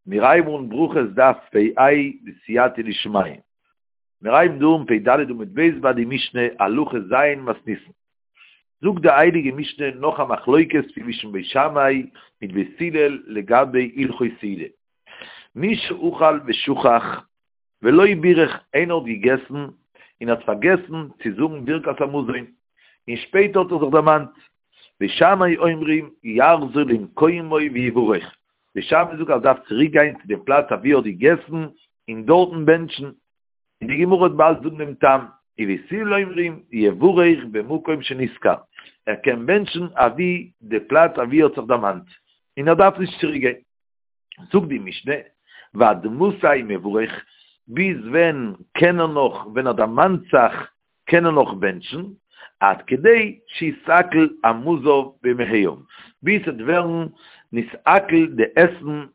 מיר הייבן אן ברכות דף פ ה בסייעתא דשמיא. מיר הייבן דא אן פ ד עמוד ב' ביי די משנה הלכה ז' מתניתין. זאגט די הייליגע משנה נאך א מחלוקת צווישן בית שמאי מיט בית הלל לגבי הלכות סעודה. מי שאכל ושכח ולא בירך איינער האט געגעסן און האט פארגעסן צו זאגן ברכת המזון און שפעטער האט ער זיך דערמאנט. בית שמאי אומרים יחזור למקומו ויברך. בית שמאי זאגט אז ער דארף צוריק גיין צו דעם פלאץ אוואו ער האט געגעסן און דארטן בענטשן, און די גמרא וועט באלד זאגן דעם טעם, ובית הלל אומרים יברך במקום שנזכר, ער קען בענטשן אוואו די פלאץ אוואו ער האט זיך דערמאנט, און ער דארף נישט צוריק גיין. זאגט די משנה, ועד מתי מברך, ביז ווען קען ער נאך, ווען ער דערמאנט זיך קען ער נאך בענטשן, עד כדי שיתעכל המזון במעיו, ביז ס'וועט ווערן נתעכל די עסן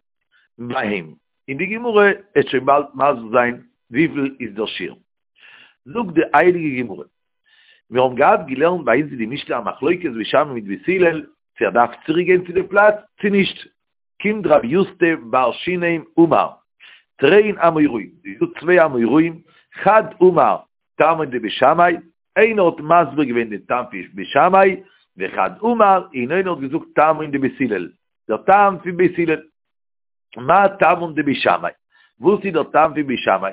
ביי אים, און די גמרא וועט שוין באלד מסביר זיין וויפיל איז דער שיעור. זאגט די הייליגע גמרא, מיר האבן געהאט געלערנט ביי אונז אין די משנה א מחלוקת בית שמאי מיט בית הלל, צו ער דארף צוריק גיין צו די פלאץ צו נישט, קומט רב יוסף בר שינם אמר, תרין אמוראים, ס'איז דא צוויי אמוראים, חד אמר טעמא דבית שמאי, איינער האט מסביר געווען די טעם פון בית שמאי, וחד אמר, און איינער האט געזאגט טעמא דבית הלל, דער טעם פון בית הלל. מאי טעמא דבית שמאי? וואס איז דער טעם פון בית שמאי?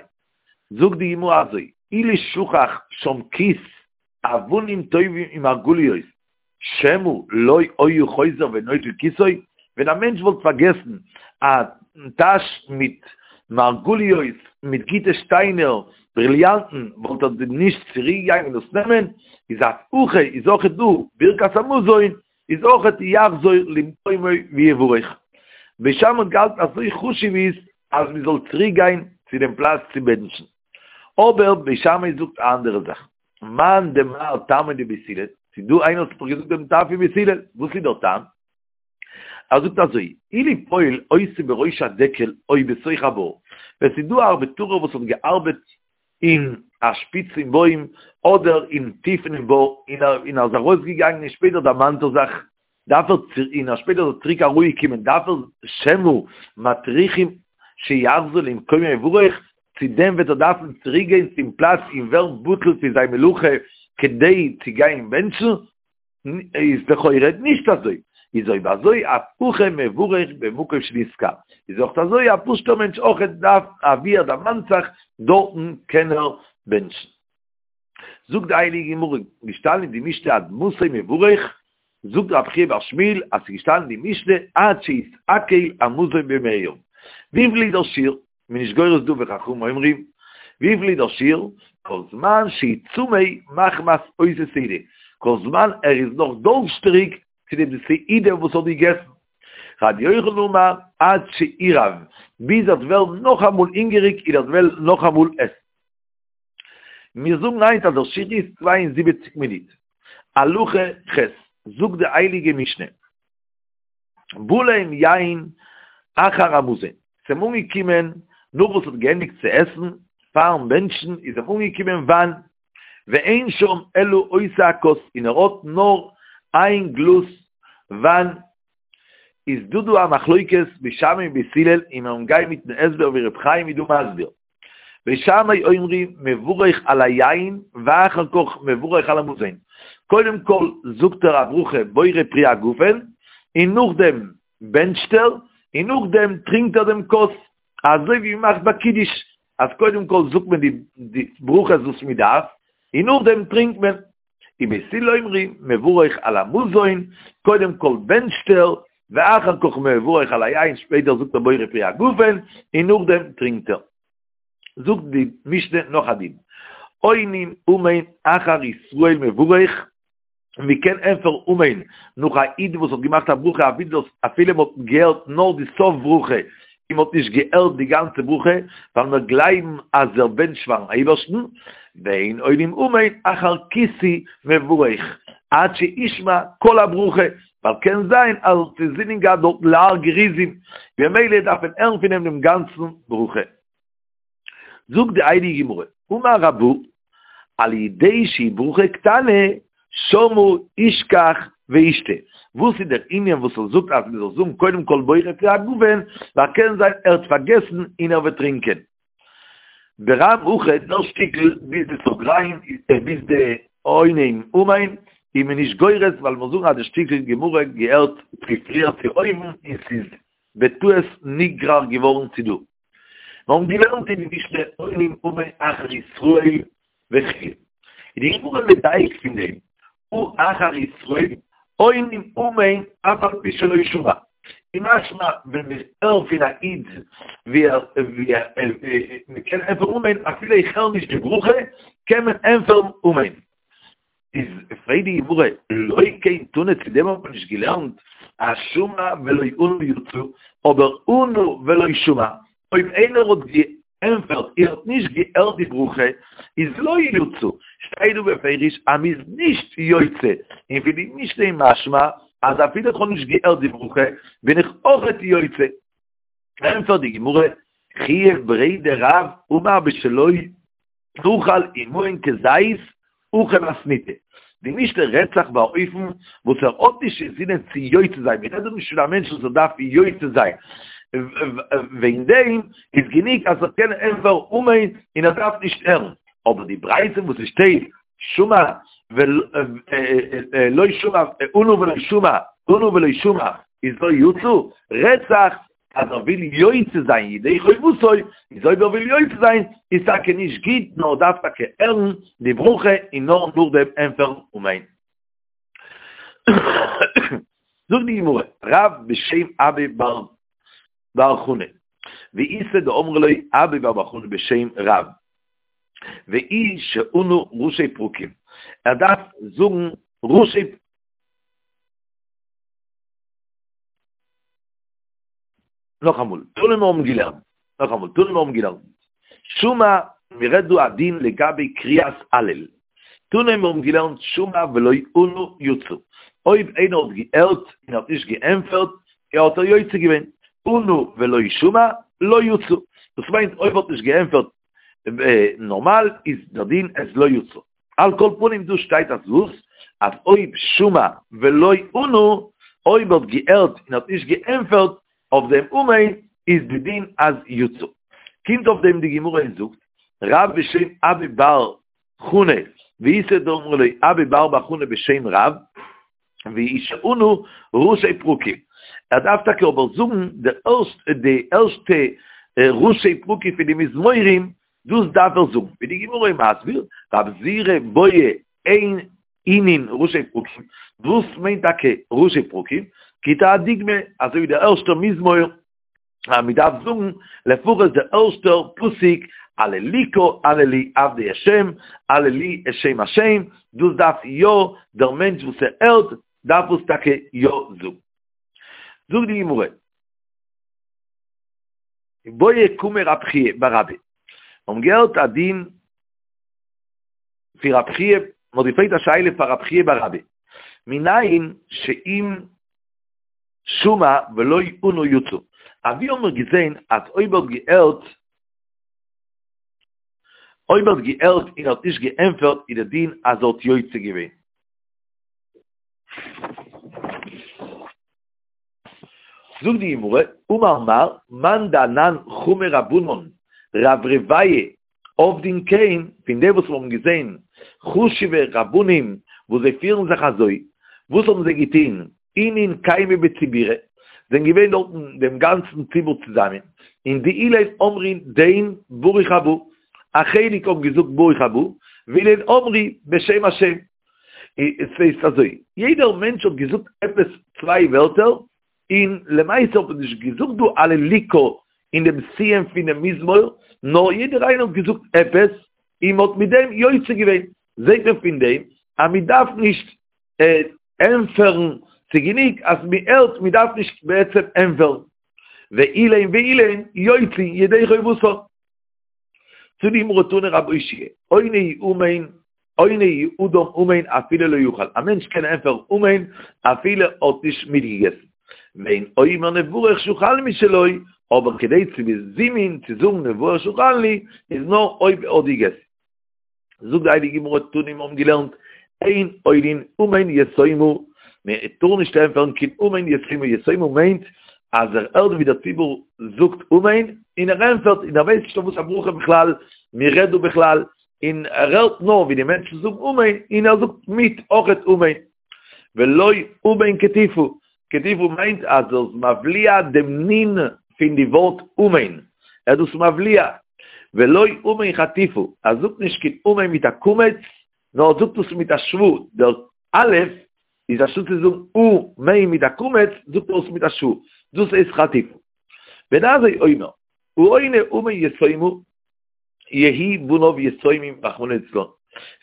זאגט די גמרא אזוי, אילו שכח שם כיס אבנים טובים ומרגליות, שמא לא היה חוזר ונוטל כיסו, ווען א מענטש וואלט פארגעסן א טאש מיט מרגליות, מיט גוטע שטיינער, בריליאנטן, וואלט ער דען נישט צוריק געגאנגען דאס נעמען? איז אף הכא איז אויכעט דא ברכת המזון, איז אויכעט יחזור למקומו ויברך. בית שמאי האט געהאלטן אזוי חשוב איז אז מען זאל צוריק גיין צו דעם פלאץ צו בענטשן. אבער בית שמאי זאגט א אנדערע זאך. מאן דאמר טעמא דבית הלל, ס'איז דא איינער וואס האט דאך געזאגט דעם טעם פון בית הלל, וואס איז דער טעם? ער זאגט אזוי, אילו פועל עושה בראש הדקל או בתוך הבור, ווען ס'איז דא א ארבעטארער וואס האט געארבעט אין א שפיץ פון בוים אדער אין טיף אינעם בור און ער און ער איז ארויסגעגאנגען און שפעטער דערמאנט ער זיך, דארף ער צו און ער שפעטער איז ער צוריק אראפגעקומען דארף ער שמא מטריחים שיחזור למקומו ויברך, צו דען וועט ער דארפן צוריק גיין צום פלאץ און ווערן בטל פון זיין מלאכה כדי צו גיין בענטשן, איז לכאורה נישט אזוי, איז אויב אזוי אף הכא מברך במקום שנזכר, איז אויך אזוי א פשוט'ער מענטש אויך דארף אוואו ער דערמאנט זיך דארטן קען ער בענטשן. זאגט די הייליגע גמרא, געשטאנען אין די משנה עד מתי מברך, זאגט רב חייא בר שמואל אז ס'איז געשטאנען אין די משנה עד שיתעכל המזון במעיו. וויפיל איז דער שיעור? מ'איז נישט גורס דא וחכמים אומרים, וויפיל איז דער שיעור? כל זמן שהוא צמא מחמת אותה סעודה, כל זמן ער איז נאך דורשטעריג צו די סעודה וואס ער האט געגעסן. רבי יוחנן אמר עד שירעב, ביז ער וועט ווערן נאכאמאל הונגעריג און ער וועט וועלן נאכאמאל עסן. מיר זאגן היינט אז דער שיעור איז 72 מינוט. הלכה ח', זאגט די הייליגע משנה, בא להם יין אחר המזון, ס'איז אים אנגעקומען נאך וואס האט געענדיגט צו עסן, פארן בענטשן איז אים אנגעקומען וויין, ואין שם אלא אותה הכוס, און ער האט נאר איין גלאז וויין, איז דא דא א מחלוקת בית שמאי און בית הלל, און מיר גייען מיטן הסבר ווי ר' חיים איז דא מסביר. בית שמאי אומרים מברך על היין ואחר כך מברך על המזון, קודם כל זאגט ער א ברכה בורא פרי הגפן, און נאכדעם בענטשט ער, און נאכדעם טרינקט ער דעם כוס, אזוי ווי מ'מאכט ביי קידוש, אז קודם כל זאגט מען די ברכות וואס מ'דארף, און נאכדעם טרינקט מען. ובית הלל אומרים מברך על המזון, קודם כל בענטשט ער, ואחר כך מברך על היין, שפעטער זאגט ער בורא פרי הגפן, און נאכדעם טרינקט ער. זאגט די משנה נאך א דין, עונין אמן אחר ישראל מברך, מען קען ענטפערן אמן נאך א איד וואס האט געמאכט א ברכה אפילו מען האט געהערט נאר די סוף ברכה און מען האט נישט געהערט די גאנצע ברכה, ווייל מיר גלייבן אז ער בענטשט פארן אייבערשטן, ואין עונים אמן אחר כותי מברך עד שישמע כל הברכה, ווייל קען זיין אז ער האט אינזינען געהאט דארטן להר גריזים, במילא דארף מען הערן פון אים דעם גאנצן ברכה. זאגט די הייליגע גמרא, אמר רבא, על ידי שהיא ברכה קטנה, שמה ישכח וישתה. וואס איז דער ענין וואס ער זאגט אז מען זאל זאגן קודם כל בורא פרי הגפן, ווייל קען זיין ער האט פארגעסן און ער וועט טרינקען. ברם הכא דער שטיקל ביז די סוגריים ביז די עונים אמן איז מען נישט גורס ווייל מיר זאגן אז די שטיקל גמרא געהערט צו פריער צו אויבן און ס'איז בטעות נגרר געווארן צו דא. מיר האבן געלערנט אין די משנה עונים אמן אחר ישראל וכו'. איז די גמרא מדייק פון דעם, הא אחר ישראל עונים אמן אף על פי שלא שמע. איז משמע ווען איך הער פון א איד ווי ער ווי ער מען קען ענטפערן אמן אפילו איך הער נישט די ברכה קען מען ענטפערן אמן. איז פרעגט די גמרא, לא כן תנא צו דעם האט מען נישט געלערנט אז שמע ולא ענה יצא, אבער ענה ולא שמע, אויב איינער האט געענפערט און האט נישט געהערט די ברכה, איז לא יצא, שטייט דא בפירוש אז מ'איז נישט יוצא, און פון די משנה איז משמע אז אפילו איך האב נישט געהערט די ברכה בין איך אויכעט יוצא. ענפערט די גמרא, חייא בריה דרב אמר בשלא אכל עמהן כזית הכי מתניתא. די משנה רעדט זיך ביי אן אופן וואס ער האט נישט אינזינען צו יוצא זיין, מ'רעדט דא נישט פון א מענטש וואס ער דארף יוצא זיין, וועגן דעם איז גענוג אז ער קען ענטפערן אמן און ער דארף נישט הערן, אבער די ברייתא וואס עס שטייט שמע ולא שמע ענה ולא שמע ענה ולא שמע איז לא יצא, רעדט זיך אז ער וויל יוצא זיין ידי חובתו, איז אויב ער וויל יוצא זיין איז טאקע נישט גוט נאר דארף טאקע הערן די ברכה און נאר נאכדעם ענטפערן אמן. זאגט די גמרא, רב בשם אבא בר בר חנה, ואיתא דאמרי ליה אבא בר בר חנה בשם רב, והוא שענה ראשי פרקים, ער דארף זאגן ראשי נאכאמאל, תנא מיר האבן געלערנט, נאכאמאל, תנא מיר האבן געלערנט, שמע, מען רעדט דא א דין לגבי קריאת הלל, תנא מיר האבן געלערנט שמע ולא ענה יצא, אויב איינער האט געהערט און האט נישט געענפערט, האט ער יוצא געווען, ענה ולא שמע, לא יצא, דאס מיינט אויב האט נישט געענפערט נארמאל איז דער דין אז לא יצא. על כל פנים דא שטייט אז וואס? אז אויב שמע ולא ענה, אויב האט געהערט און האט נישט געענפערט אויף דעם אמן, איז די דין אז יצא. קומט אויף דעם די גמרא און זאגט, רב בשם אבא בר חנה, ואיתא דאמרי ליה אבא בר בר חנה בשם רב, והוא שענה ראשי פרקים. ער דארף טאקע אבער זאגן די ערשטע די ערשטע ראשי פרקים פון די מזמורים, דאס דארף ער זאגן. ווי די גמרא איז מסביר, רב זירא בעי אינון ראשי פרקים, וואס מיינט טאקע ראשי פרקים? גיט ער א דוגמא, אזוי ווי דער ערשטער מזמור, אז מען דארף זאגן לפחות דער ערשטער פסוק הללוקה הללו עבדי השם הללו את שם השם, דאס דארף יא דער מענטש וואס ער הערט דארף עס טאקע יא זאגן. זאגט די גמרא, בעי קמיה רב חייא בר אבא, מיר האבן געהערט א דין פון רב חייא, מען האט געפרעגט א שאלה פאר רב חייא בר אבא, מנין שאם שמע ולא ענה יצא. אוואו האבן מיר געזען אז אויב האט געהערט, אויב האט געהערט און האט נישט געענפערט איז די דין אז ער האט יוצא געווען. זאגט די גמרא, אמר מר, מאן דאנן חמי רבנן, רברביא עבדין כן, פון דעם וואס מיר האבן געזען חשוב'ע רבנים וואס זיי פירן זיך אזוי, וואס האבן זיי געטון? אינון קיימי בציבורא, זענען געווען דארטן דעם גאנצן ציבור צוזאמען, און דאלין אמרין דין ברוך הבא, א חלק האבן געזאגט ברוך הבא, ואלין אמרי בשם השם. עס הייסט אזוי, יעדער מענטש האט געזאגט עפעס צוויי ווערטער, און למעשה האט מען נישט געזאגט דא הללוקה אין דעם סיום פונעם מזמור, נאר יעדער איינער האט געזאגט עפעס, און מען האט מיט דעם יוצא געווען. זעט מען פון דעם אז מען דארף נישט ענטפערן, ס'איז גענוג אז מען הערט, מען דארף נישט בעצם ענטפערן. ואלין ואלין יוצאין ידי חובתן. זאגט די גמרא תני רב אושעיא, עונה אמן עונה אדם אמן אפילו לא אכל, א מענטש קען ענטפערן אמן אפילו ער האט נישט מיטגעגעסן, ואין אומר נברך שאכלנו משלו, אבער כדי צו בזימון צו זאגן נברך שאכלנו איז נאר אויב ער האט געגעסן. זאגט די הייליגע גמרא תנא מיר האבן געלערנט אין עונין אמן יתומה. מען טאר נישט ענטפערן קיין אמן יתומה, יתומה מיינט אז ער הערט ווי דער ציבור זאגט אמן און ער ענטפערט און ער ווייסט נישט אויף וואס א ברכה בכלל מען רעדט דא בכלל, און ער הערט נאר ווי די מענטשן זאגן אמן און ער זאגט מיט אויכעט אמן. ולא אמן קטיפא, קטיפא מיינט אז ער איז מבליע דעם נון פון די ווארט אמן, ער איז דאס מבליע. ולא אמן חטיפא, ער זאגט נישט קיין אמן מיט א קמץ, נאר ער זאגט עס מיט א שווא, דער א' איז אנשטאט צו זאגן או-מן מיט א קמץ, זאגט ער עס מיט א שווא, דאס הייסט חטיפא. בן עזאי אומר, העונה אמן יתומה, יהי' בניו יתומים רחמנא ליצלן,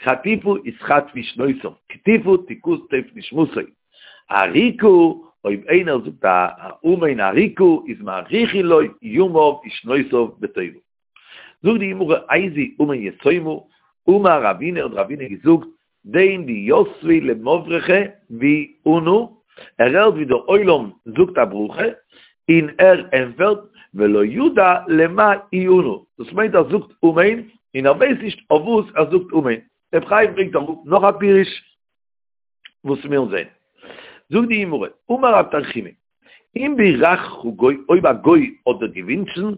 חטיפא יתחטפו שנותיו, קטיפא תקטף נשמתו, אריקא, אויב איינער זאגט א אמן אריקא איז מאריכין לו ימיו ושנותיו בטובה. זאגט די גמרא איזהו אמן יתומה, אמר רבינא האט רבינא געזאגט, דין דיתבי למברכי וענו, ער הערט ווי דער עולם זאגט א ברכה, און ער ענטפערט, ולא ידע למאי ענו, דאס מיינט ער זאגט אמן, און ער ווייסט נישט אויף וואס ער זאגט אמן. רבי חיים ברענגט אראפ נאך א פירוש וואס מיר זעהן. זאגט די גמרא, אמר רב תנחומא, אם בירכך גוי, אויב א גוי האט דיר געווינטשן,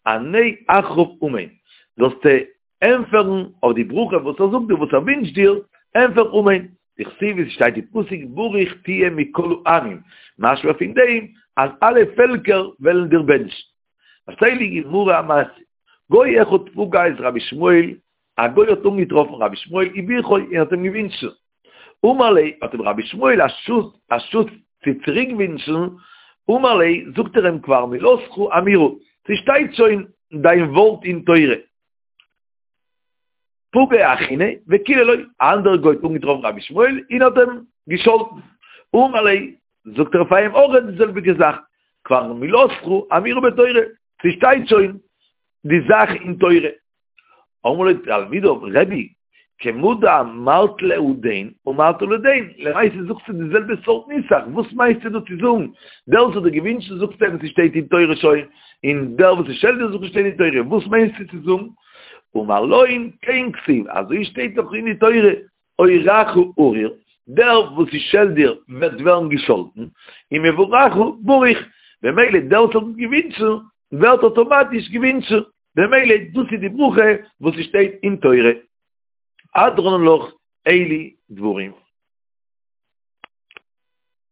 ענה אחריו אמן, זאלסטו ענטפערן אויף די ברכה וואס ער זאגט דיר, וואס ער ווינטשט דיר, ענטפער אמן, דכתיב ווי ס'שטייט אין פסוק ברוך תהיה מכל העמים, משמע פון דעם אז אלע פעלקער וועלן דיר בענטשן. פארציילט די גמרא א מעשה, גוי אחד פגע את רבי ישמעאל, א גוי האט אנגעטראפן רבי ישמעאל וברכו און האט אים געווינטשן, אמר ליה, האט אים רבי ישמעאל אנשטאט צו צוריק ווינטשן, אמר ליה, זאגט ער אים כבר מילתך אמורה, ס'שטייט שוין דיין ווארט אין תורה. פגעיה אחרינא וקיללו, א אנדערע גוי האט אנגעטראפן רבי ישמעאל און האט אים געשאלטן, אמר ליה, זאגט ער פאר אים אויך די זעלביגע זאך, כבר מילתך אמורה בתורה, ס'שטייט שוין די זאך אין תורה. אמרו לו תלמידיו, רבי, כמה דאמרת להו דין, אמרת להו דין, למעשה זאגסטו די זעלבע סארט נוסח, וואס מיינסטו דא צו זאגן? דער וואס האט דיר געווינטשן זאגסטו אים ס'שטייט אין תורה שוין, און דער וואס שעלט דיר זאגסטו שטייט אין תורה, וואס מיינסטו צו זאגן? אמר להון כן כתיב, אזוי שטייט דאך אין די תורה, אורך ארור, דער וואס ס'שעלט דיר וועט ווערן געשאלטן, און מברכך ברוך, במילא דער וואס האט געווינטשן ווערט אטאמאטיש געווינטשן. במילא דאס איז די ברכה וואס ס'שטייט אין תורה. הדרן עלך אלו דברים.